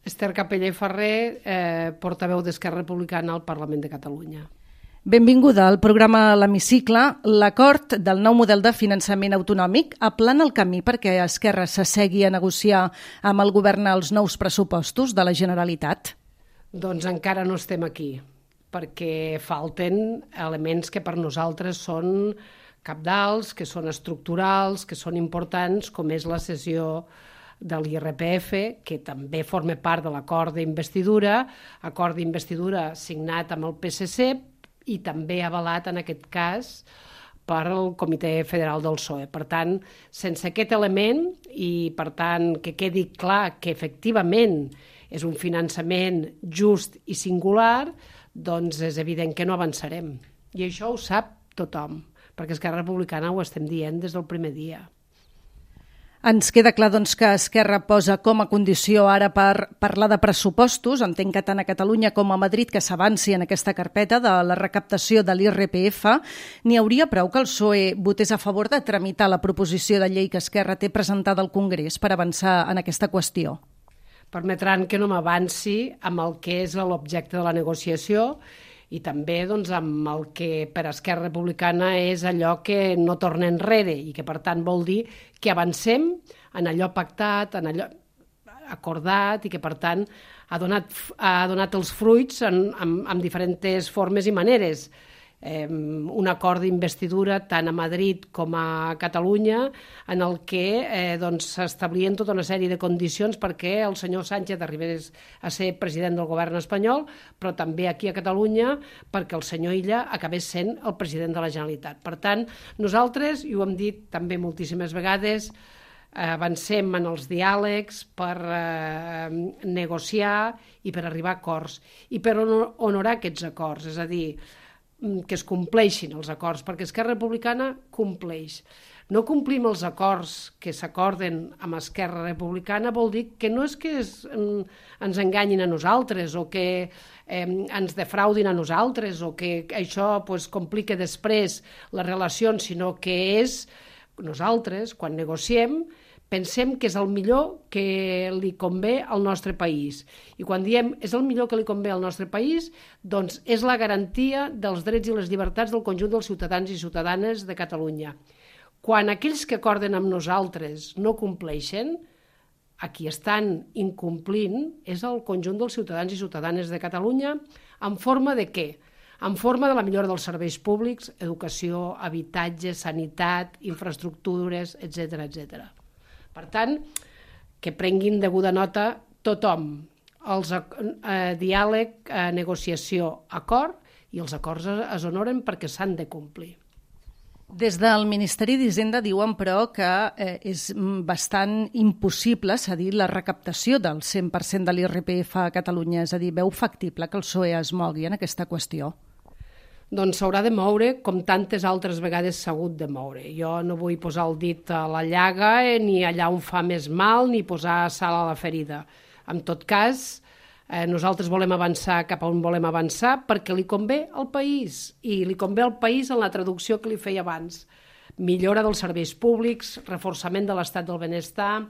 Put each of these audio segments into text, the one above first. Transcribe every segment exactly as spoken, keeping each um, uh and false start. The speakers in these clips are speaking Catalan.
Esther Capella i Ferrer, eh, portaveu d'Esquerra Republicana al Parlament de Catalunya. Benvinguda al programa L'Hemicicle. L'acord del nou model de finançament autonòmic aplana el camí perquè Esquerra s'assegui a negociar amb el govern els nous pressupostos de la Generalitat? Doncs encara no estem aquí, perquè falten elements que per nosaltres són cabdals, que són estructurals, que són importants, com és la cessió de l'I R P F, que també forma part de l'acord d'investidura, acord d'investidura signat amb el P S C i també avalat, en aquest cas, per el Comitè Federal del P S O E. Per tant, sense aquest element i, per tant, que quedi clar que efectivament és un finançament just i singular, doncs és evident que no avançarem. I això ho sap tothom, perquè Esquerra Republicana ho estem dient des del primer dia. Ens queda clar doncs, que Esquerra posa com a condició ara per parlar de pressupostos, entenc que tant a Catalunya com a Madrid, que s'avanci en aquesta carpeta de la recaptació de l'I R P F. N'hi hauria prou que el P S O E votés a favor de tramitar la proposició de llei que Esquerra té presentada al Congrés per avançar en aquesta qüestió? Permetran que no m'avanci amb el que és l'objecte de la negociació i també doncs, amb el que per Esquerra Republicana és allò que no torna enrere i que per tant vol dir que avancem en allò pactat, en allò acordat i que per tant ha donat, ha donat els fruits en, en, en diferents formes i maneres. Eh, un acord d'investidura tant a Madrid com a Catalunya en el que eh, doncs, s'establien tota una sèrie de condicions perquè el senyor Sánchez arribés a ser president del govern espanyol, però també aquí a Catalunya perquè el senyor Illa acabés sent el president de la Generalitat. Per tant, nosaltres, i ho hem dit també moltíssimes vegades, eh, avancem en els diàlegs per eh, negociar i per arribar a acords i per honorar aquests acords, és a dir, que es compleixin els acords, perquè Esquerra Republicana compleix. No complim els acords que s'acorden amb Esquerra Republicana vol dir que no és que es, ens enganyin a nosaltres o que eh, ens defraudin a nosaltres o que això pues, complica després les relacions, sinó que és nosaltres, quan negociem, pensem que és el millor que li convé al nostre país. I quan diem és el millor que li convé al nostre país, doncs és la garantia dels drets i les llibertats del conjunt dels ciutadans i ciutadanes de Catalunya. Quan aquells que acorden amb nosaltres no compleixen, a qui estan incomplint és el conjunt dels ciutadans i ciutadanes de Catalunya en forma de què? En forma de la millora dels serveis públics, educació, habitatge, sanitat, infraestructures, etcètera, etcètera. Per tant, que prenguin deguda nota tothom, els eh, diàleg, eh, negociació, acord, i els acords es honoren perquè s'han de complir. Des del Ministeri d'Hisenda diuen, però, que eh, és bastant impossible cedir la recaptació del cent per cent de l'I R P F a Catalunya. És a dir, veu factible que el P S O E es mogui en aquesta qüestió? Doncs s'haurà de moure com tantes altres vegades s'ha hagut de moure. Jo no vull posar el dit a la llaga eh, ni allà on fa més mal ni posar sal a la ferida. En tot cas, eh, nosaltres volem avançar cap a on volem avançar perquè li convé al país i li convé al país en la traducció que li feia abans. Millora dels serveis públics, reforçament de l'estat del benestar,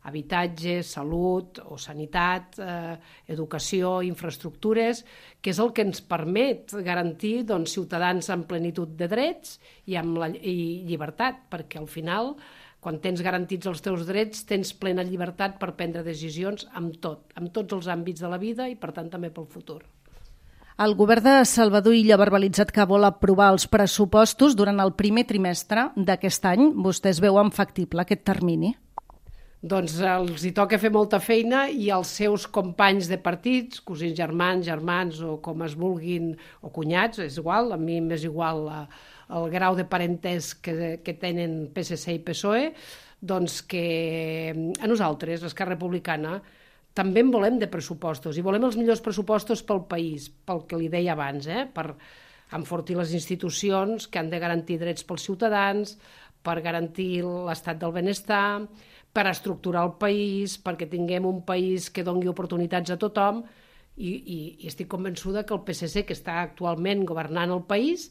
habitatge, salut o sanitat, eh, educació, infraestructures, que és el que ens permet garantir doncs, ciutadans amb plenitud de drets i amb la, i llibertat, perquè al final, quan tens garantits els teus drets, tens plena llibertat per prendre decisions amb tot, amb tots els àmbits de la vida i, per tant, també pel futur. El govern de Salvador Illa ha verbalitzat que vol aprovar els pressupostos durant el primer trimestre d'aquest any. Vostès veuen factible aquest termini? Doncs els hi toca fer molta feina i els seus companys de partits, cosins germans, germans o com es vulguin, o cunyats, és igual, a mi m'és igual la, el grau de parentès que, que tenen P S C i P S O E, doncs que a nosaltres, l'Esquerra Republicana, també en volem de pressupostos i volem els millors pressupostos pel país, pel que li deia abans, eh? Per enfortir les institucions que han de garantir drets pels ciutadans, per garantir l'estat del benestar, per estructurar el país, perquè tinguem un país que doni oportunitats a tothom i, i, i estic convençuda que el P S C, que està actualment governant el país,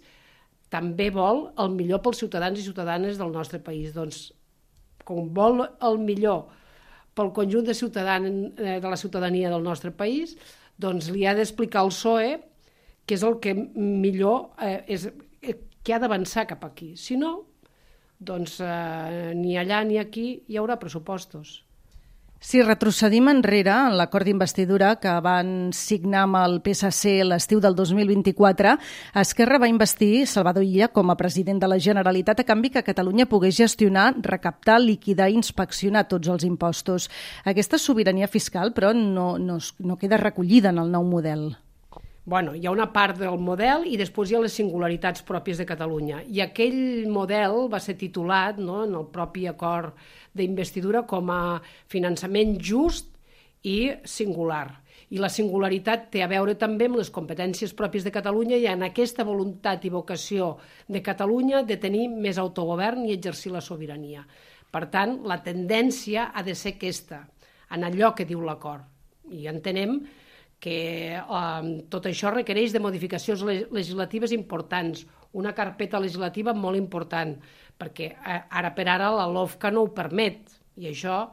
també vol el millor pels ciutadans i ciutadanes del nostre país. Doncs, com vol el millor pel conjunt de, de la ciutadania del nostre país, doncs li ha d'explicar al P S O E que és el que millor eh, és, eh, que ha d'avançar cap aquí. Si no, doncs eh, ni allà ni aquí hi haurà pressupostos. Si retrocedim enrere en l'acord d'investidura que van signar amb el P S C l'estiu del dos mil vint-i-quatre, Esquerra va investir Salvador Illa com a president de la Generalitat a canvi que Catalunya pogués gestionar, recaptar, liquidar i inspeccionar tots els impostos. Aquesta sobirania fiscal, però, no, no, no queda recollida en el nou model. Bueno, hi ha una part del model i després hi ha les singularitats pròpies de Catalunya. I aquell model va ser titulat, no, en el propi acord d'investidura com a finançament just i singular. I la singularitat té a veure també amb les competències pròpies de Catalunya i en aquesta voluntat i vocació de Catalunya de tenir més autogovern i exercir la sobirania. Per tant, la tendència ha de ser aquesta, en allò que diu l'acord. I entenem que eh, tot això requereix de modificacions legislatives importants, una carpeta legislativa molt important, perquè eh, ara per ara la LOFCA no ho permet, i això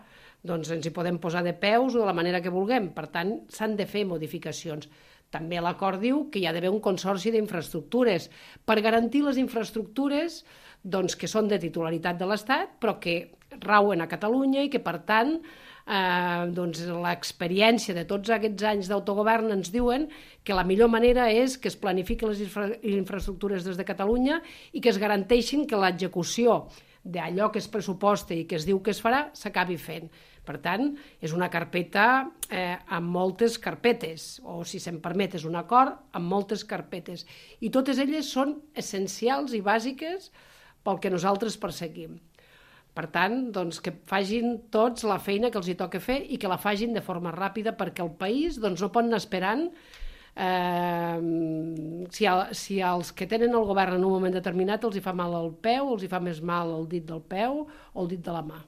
doncs, ens hi podem posar de peus o de la manera que vulguem. Per tant, s'han de fer modificacions. També l'acord diu que hi ha d'haver un consorci d'infraestructures per garantir les infraestructures doncs, que són de titularitat de l'Estat, però que rauen a Catalunya i que, per tant, Eh, doncs l'experiència de tots aquests anys d'autogovern ens diuen que la millor manera és que es planifiquin les infra infraestructures des de Catalunya i que es garanteixin que l'execució d'allò que es pressuposta i que es diu que es farà s'acabi fent. Per tant, és una carpeta eh, amb moltes carpetes, o si se'm permet, és un acord amb moltes carpetes. I totes elles són essencials i bàsiques pel que nosaltres perseguim. Per tant, doncs, que facin tots la feina que els hi toca fer i que la facin de forma ràpida perquè el país doncs, no pot anar esperant eh, si, el, si els que tenen el govern en un moment determinat els hi fa mal al peu, els hi fa més mal el dit del peu o el dit de la mà.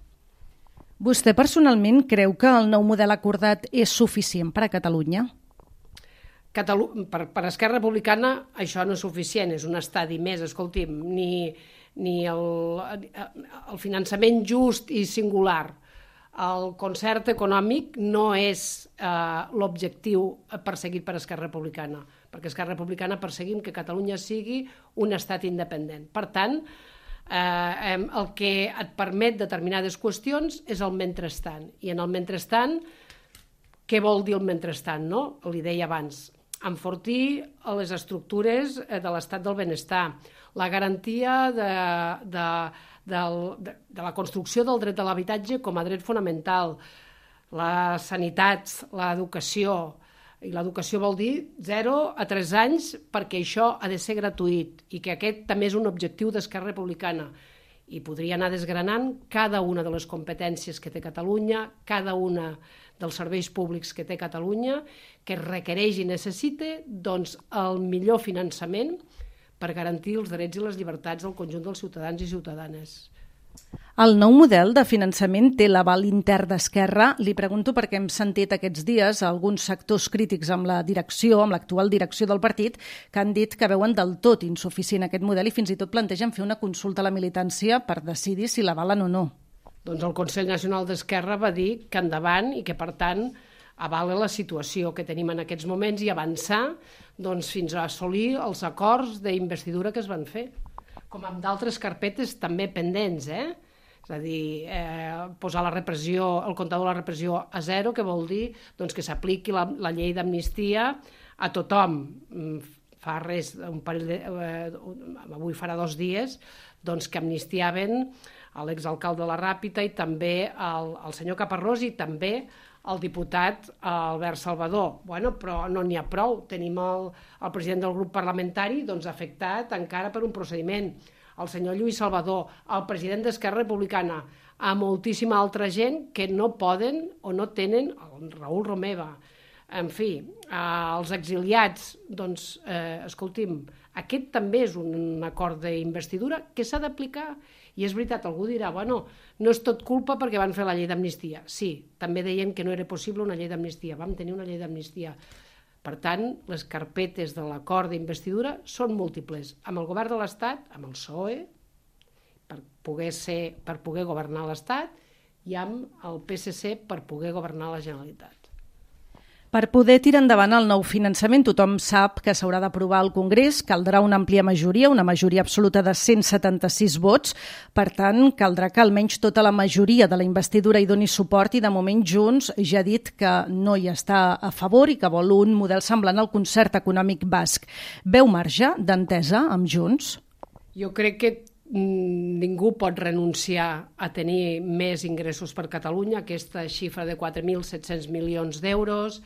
Vostè personalment creu que el nou model acordat és suficient per a Catalunya? Catalu per, per Esquerra Republicana això no és suficient, és un estadi més, escolti'm, ni... ni el, el finançament just i singular. El concert econòmic no és eh, l'objectiu perseguit per Esquerra Republicana, perquè Esquerra Republicana perseguim que Catalunya sigui un estat independent. Per tant, eh, el que et permet determinades qüestions és el mentrestant. I en el mentrestant, què vol dir el mentrestant? No? Li deia abans, enfortir les estructures de l'estat del benestar, la garantia de, de, de, de, de la construcció del dret de l'habitatge com a dret fonamental, la sanitat, l'educació, i l'educació vol dir zero a tres anys perquè això ha de ser gratuït i que aquest també és un objectiu d'Esquerra Republicana. I podria anar desgranant cada una de les competències que té Catalunya, cada una dels serveis públics que té Catalunya, que requereix i necessita doncs, el millor finançament per garantir els drets i les llibertats del conjunt dels ciutadans i ciutadanes. El nou model de finançament té l'aval intern d'Esquerra. Li pregunto perquè hem sentit aquests dies alguns sectors crítics amb la direcció, amb l'actual direcció del partit, que han dit que veuen del tot insuficient aquest model i fins i tot plantegen fer una consulta a la militància per decidir si l'avalen o no. Doncs el Consell Nacional d'Esquerra va dir que endavant i que, per tant, avala la situació que tenim en aquests moments i avançar doncs, fins a assolir els acords d'investidura que es van fer, com amb d'altres carpetes també pendents, eh? És a dir, eh, posar la repressió, el comptador de la repressió a zero, que vol dir doncs, que s'apliqui la, la llei d'amnistia a tothom. Fa res, un parell de, eh, avui farà dos dies, doncs, que amnistiaven l'exalcalde de la Ràpita i també el, el senyor Caparrós i també el diputat Albert Salvador. Bueno, però no n'hi ha prou. Tenim el, el president del grup parlamentari doncs, afectat encara per un procediment, el senyor Lluís Salvador, el president d'Esquerra Republicana, a moltíssima altra gent que no poden o no tenen, el Raül Romeva, en fi, els exiliats, doncs, eh, escolti'm, aquest també és un acord d'investidura que s'ha d'aplicar. I és veritat, algú dirà, bueno, no és tot culpa perquè van fer la llei d'amnistia. Sí, també deien que no era possible una llei d'amnistia. Vam tenir una llei d'amnistia. Per tant, les carpetes de l'acord d'investidura són múltiples. Amb el govern de l'Estat, amb el P S O E, per poder, ser, per poder governar l'Estat, i amb el P S C per poder governar la Generalitat. Per poder tirar endavant el nou finançament, tothom sap que s'haurà d'aprovar al Congrés, caldrà una àmplia majoria, una majoria absoluta de cent setanta-sis vots, per tant, caldrà que almenys tota la majoria de la investidura hi doni suport i de moment Junts ja ha dit que no hi està a favor i que vol un model semblant al concert econòmic basc. Veu marge d'entesa amb Junts? Jo crec que ningú pot renunciar a tenir més ingressos per Catalunya, aquesta xifra de quatre mil set-cents milions d'euros,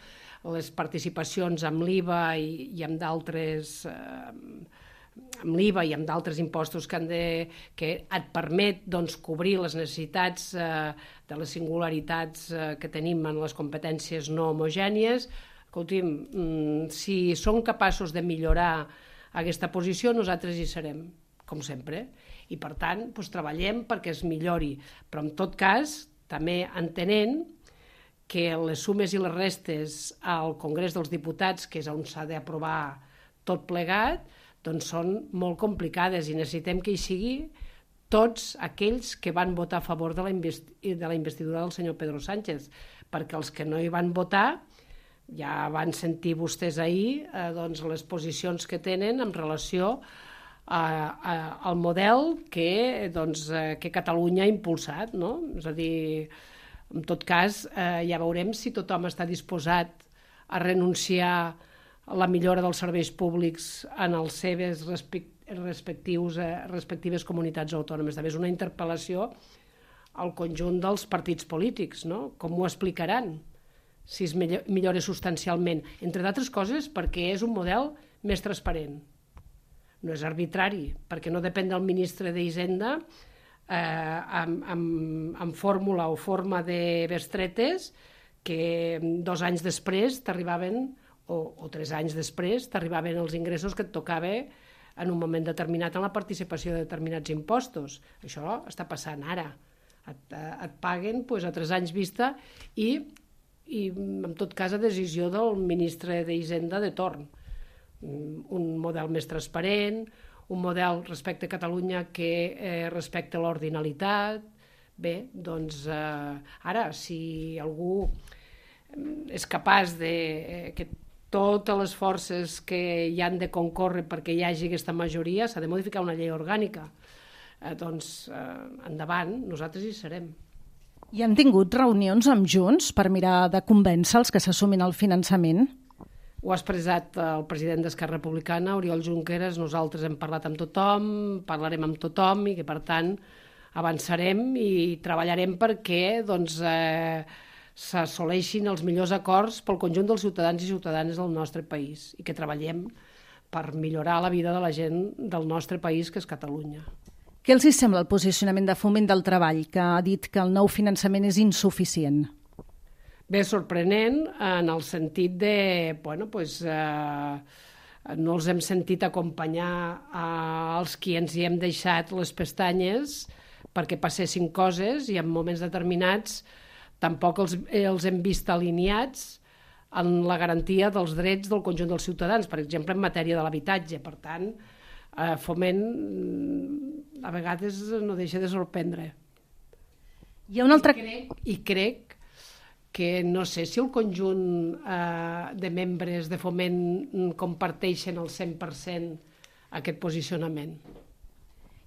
les participacions amb l'I V A i, i amb d'altres eh, amb l'I V A i amb d'altres impostos que, han de, que et permet doncs, cobrir les necessitats eh, de les singularitats eh, que tenim en les competències no homogènies. Escolti'm, si som capaços de millorar aquesta posició, nosaltres hi serem, com sempre. I, per tant, doncs, treballem perquè es millori. Però, en tot cas, també entenent que les sumes i les restes al Congrés dels Diputats, que és on s'ha d'aprovar tot plegat, doncs són molt complicades i necessitem que hi sigui tots aquells que van votar a favor de la, investi de la investidura del senyor Pedro Sánchez, perquè els que no hi van votar ja van sentir vostès ahir eh, doncs, les posicions que tenen en relació a, a, al model que, doncs, eh, que Catalunya ha impulsat, no? És a dir, en tot cas, eh, ja veurem si tothom està disposat a renunciar a la millora dels serveis públics en els seves respectius, eh, respectives comunitats autònomes. També és una interpel·lació al conjunt dels partits polítics, no? Com ho explicaran si es millora substancialment? Entre d'altres coses, perquè és un model més transparent. No és arbitrari, perquè no depèn del ministre d'Hisenda eh, amb, amb, amb fórmula o forma de bestretes que dos anys després t'arribaven, o, o tres anys després, t'arribaven els ingressos que et tocava en un moment determinat en la participació de determinats impostos. Això està passant ara. Et, et paguen doncs, a tres anys vista i, i, en tot cas, a decisió del ministre d'Hisenda de torn. Un model més transparent, un model respecte a Catalunya que eh, respecta l'ordinalitat. Bé, doncs eh, ara, si algú és capaç de eh, que totes les forces que hi han de concórrer perquè hi hagi aquesta majoria, s'ha de modificar una llei orgànica. Eh, doncs, eh, endavant, nosaltres hi serem. I han tingut reunions amb Junts per mirar de convèncer els que s'assumin el finançament? Ho ha expressat el president d'Esquerra Republicana, Oriol Junqueras. Nosaltres hem parlat amb tothom, parlarem amb tothom i que, per tant, avançarem i treballarem perquè doncs, eh, s'assoleixin els millors acords pel conjunt dels ciutadans i ciutadanes del nostre país i que treballem per millorar la vida de la gent del nostre país, que és Catalunya. Què els hi sembla el posicionament de Foment del Treball, que ha dit que el nou finançament és insuficient? Bé, sorprenent en el sentit de, bueno, pues, eh, no els hem sentit acompanyar als qui ens hi hem deixat les pestanyes perquè passessin coses i en moments determinats tampoc els, els hem vist alineats en la garantia dels drets del conjunt dels ciutadans, per exemple, en matèria de l'habitatge. Per tant, eh, Foment a vegades no deixa de sorprendre. Hi ha un altre... I crec, i crec que no sé si el conjunt eh, de membres de Foment comparteixen al cent per cent aquest posicionament.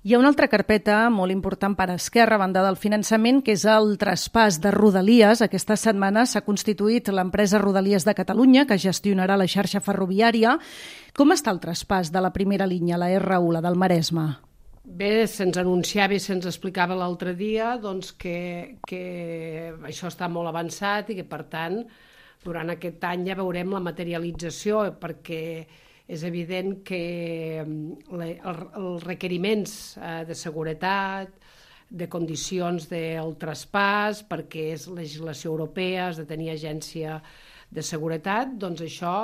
Hi ha una altra carpeta molt important per a Esquerra, a banda del finançament, que és el traspàs de Rodalies. Aquesta setmana s'ha constituït l'empresa Rodalies de Catalunya, que gestionarà la xarxa ferroviària. Com està el traspàs de la primera línia, la erre u, la del Maresme? Bé, se'ns anunciava i se'ns explicava l'altre dia doncs, que, que això està molt avançat i que, per tant, durant aquest any ja veurem la materialització, perquè és evident que els requeriments de seguretat, de condicions del traspàs, perquè és legislació europea, has de tenir agència de seguretat, doncs això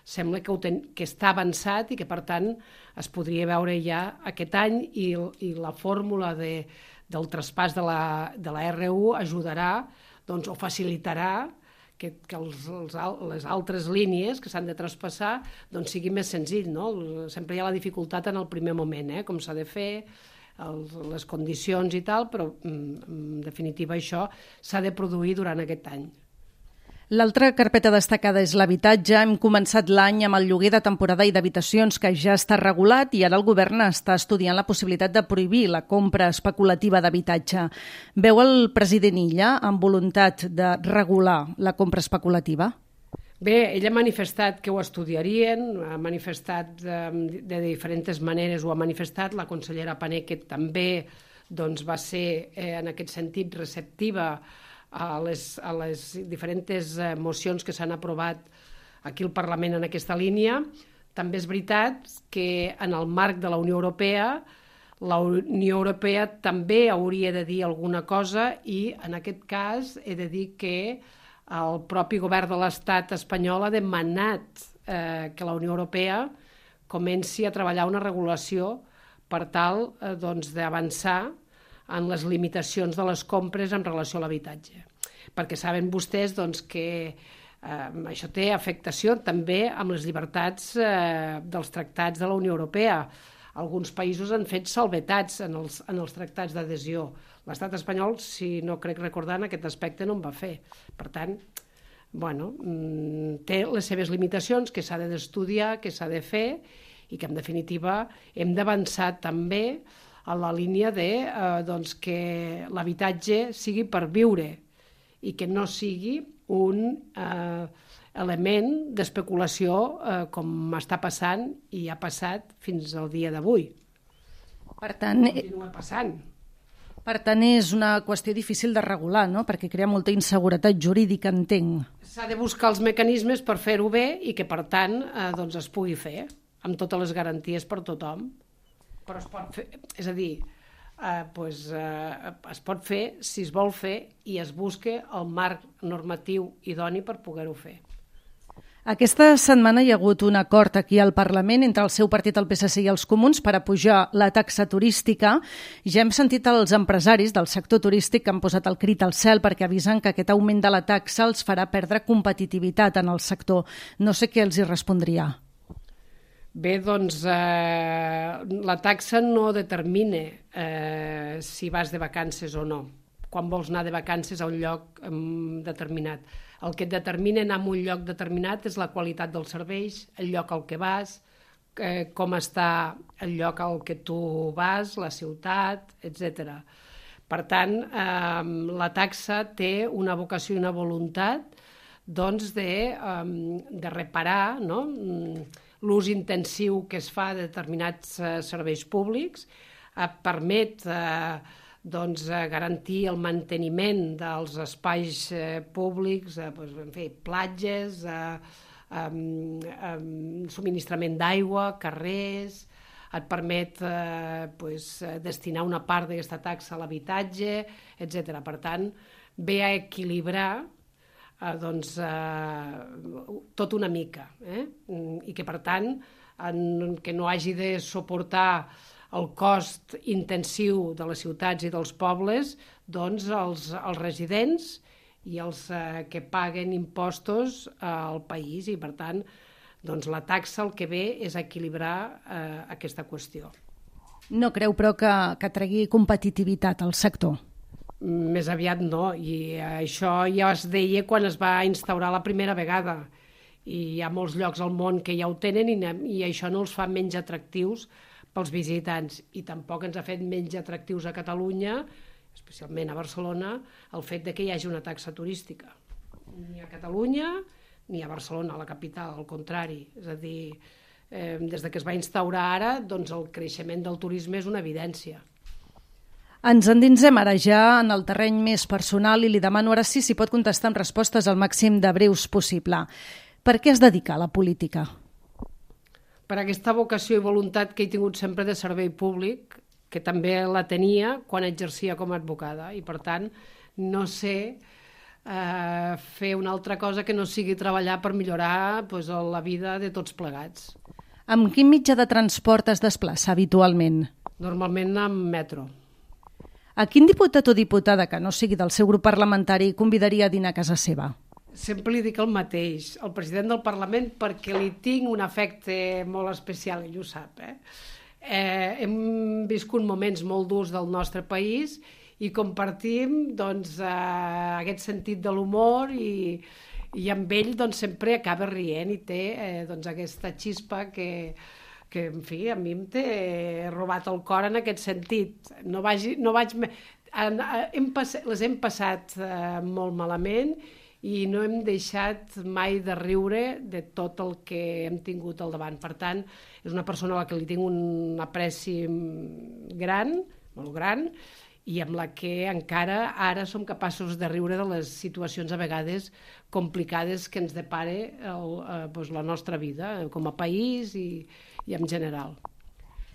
sembla que, ten, que està avançat i que, per tant, es podria veure ja aquest any i, i la fórmula de, del traspàs de la, de la erre u ajudarà doncs, o facilitarà que, que els, els, les altres línies que s'han de traspassar doncs, sigui més senzill. No? Sempre hi ha la dificultat en el primer moment, eh? Com s'ha de fer, els, les condicions i tal, però en definitiva això s'ha de produir durant aquest any. L'altra carpeta destacada és l'habitatge. Hem començat l'any amb el lloguer de temporada i d'habitacions, que ja està regulat, i ara el govern està estudiant la possibilitat de prohibir la compra especulativa d'habitatge. Veu el president Illa amb voluntat de regular la compra especulativa? Bé, ell ha manifestat que ho estudiarien, ha manifestat de, de diferents maneres, ho ha manifestat, la consellera Pané, que també doncs, va ser eh, en aquest sentit receptiva a les, a les diferents mocions que s'han aprovat aquí al Parlament en aquesta línia. També és veritat que en el marc de la Unió Europea, la Unió Europea també hauria de dir alguna cosa i en aquest cas he de dir que el propi govern de l'Estat espanyol ha demanat eh, que la Unió Europea comenci a treballar una regulació per tal eh, doncs, d'avançar en les limitacions de les compres en relació a l'habitatge. Perquè saben vostès doncs, que eh, això té afectació també amb les llibertats eh, dels tractats de la Unió Europea. Alguns països han fet salvetats en els, en els tractats d'adhesió. L'estat espanyol, si no crec recordar, en aquest aspecte no en va fer. Per tant, bueno, té les seves limitacions que s'ha d'estudiar, que s'ha de fer i que en definitiva hem d'avançar també a la línia de eh, doncs que l'habitatge sigui per viure i que no sigui un eh, element d'especulació eh, com està passant i ha passat fins al dia d'avui. Per tant, continua passant. Per tant, és una qüestió difícil de regular, no? Perquè crea molta inseguretat jurídica, entenc. S'ha de buscar els mecanismes per fer-ho bé i que, per tant, eh, doncs es pugui fer amb totes les garanties per tothom. Però es pot fer, és a dir, eh, pues, eh, es pot fer si es vol fer i es busca el marc normatiu idoni per poder-ho fer. Aquesta setmana hi ha hagut un acord aquí al Parlament entre el seu partit, el P S C i els Comuns per apujar la taxa turística. Ja hem sentit els empresaris del sector turístic que han posat el crit al cel perquè avisen que aquest augment de la taxa els farà perdre competitivitat en el sector. No sé què els hi respondria. Bé, doncs eh, la taxa no determina eh, si vas de vacances o no, quan vols anar de vacances a un lloc eh, determinat. El que et determina anar a un lloc determinat és la qualitat dels serveis, el lloc al que vas, eh, com està el lloc al que tu vas, la ciutat, etcètera. Per tant, eh, la taxa té una vocació i una voluntat doncs, de, eh, de reparar, no?, l'ús intensiu que es fa de determinats eh, serveis públics, eh, permet eh, doncs, eh, garantir el manteniment dels espais eh, públics, eh, doncs, en fi, platges, eh, eh, eh, subministrament d'aigua, carrers, et permet eh, pues, destinar una part d'aquesta taxa a l'habitatge, etcètera. Per tant, ve a equilibrar Eh, doncs, eh, tot una mica, eh? I que per tant en, que no hagi de suportar el cost intensiu de les ciutats i dels pobles doncs els, els residents i els eh, que paguen impostos eh, al país i per tant doncs, la taxa el que ve és equilibrar eh, aquesta qüestió. No creu però que, que tregui competitivitat al sector? Més aviat no, i això ja es deia quan es va instaurar la primera vegada i hi ha molts llocs al món que ja ho tenen i, i això no els fa menys atractius pels visitants i tampoc ens ha fet menys atractius a Catalunya, especialment a Barcelona, el fet de que hi hagi una taxa turística. Ni a Catalunya ni a Barcelona, a la capital, al contrari. És a dir, eh, des de que es va instaurar ara, doncs el creixement del turisme és una evidència. Ens endinsem ara ja en el terreny més personal i li demano ara sí si pot contestar amb respostes al màxim de breus possible. Per què es dedica a la política? Per aquesta vocació i voluntat que he tingut sempre de servei públic, que també la tenia quan exercia com a advocada i per tant no sé eh, fer una altra cosa que no sigui treballar per millorar pues, la vida de tots plegats. Amb quin mitjà de transport es desplaça habitualment? Normalment amb metro. A quin diputat o diputada que no sigui del seu grup parlamentari convidaria a dinar a casa seva? Sempre li dic el mateix, el president del Parlament, perquè li tinc un afecte molt especial, ell ho sap. Eh? eh, hem viscut moments molt durs del nostre país i compartim doncs, eh, aquest sentit de l'humor i, i amb ell doncs, sempre acaba rient i té eh, doncs, aquesta xispa que, que, en fi, a mi em té robat el cor en aquest sentit. No, vagi, no vaig... En, hem passat, les hem passat eh, molt malament i no hem deixat mai de riure de tot el que hem tingut al davant. Per tant, és una persona a la que li tinc un apreci gran, molt gran, i amb la que encara ara som capaços de riure de les situacions a vegades complicades que ens depare el, eh, doncs la nostra vida com a país i, i en general.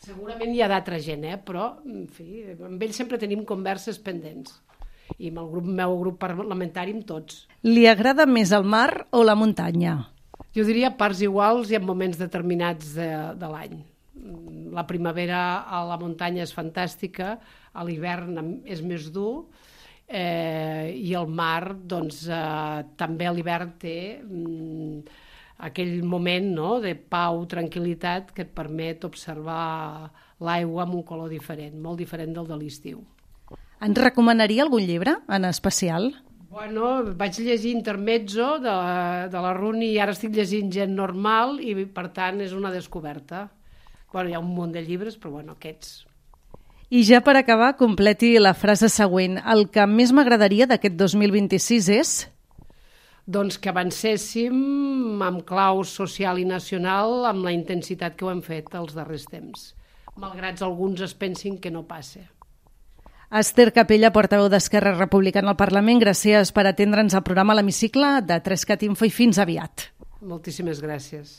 Segurament hi ha d'altra gent, eh? Però en fi, amb ell sempre tenim converses pendents i amb el grup, meu grup parlamentari amb tots. Li agrada més el mar o la muntanya? Jo diria parts iguals i en moments determinats de, de l'any. La primavera a la muntanya és fantàstica, a l'hivern és més dur eh, i el mar doncs, eh, també a l'hivern té mm, aquell moment, no?, de pau, tranquil·litat que et permet observar l'aigua amb un color diferent, molt diferent del de l'estiu. Ens recomanaria algun llibre en especial? Bueno, vaig llegir Intermezzo de la, de la Runi i ara estic llegint Gent normal i per tant és una descoberta. Bueno, hi ha un munt de llibres, però bueno, aquests. I ja per acabar, completi la frase següent. El que més m'agradaria d'aquest dos mil vint-i-sis és... Doncs que avancéssim amb clau social i nacional amb la intensitat que ho hem fet els darrers temps, malgrat alguns es pensin que no passa. Esther Capella, portaveu d'Esquerra Republicana al Parlament, gràcies per atendre'ns al programa L'Hemicicle de tres cat Info i fins aviat. Moltíssimes gràcies.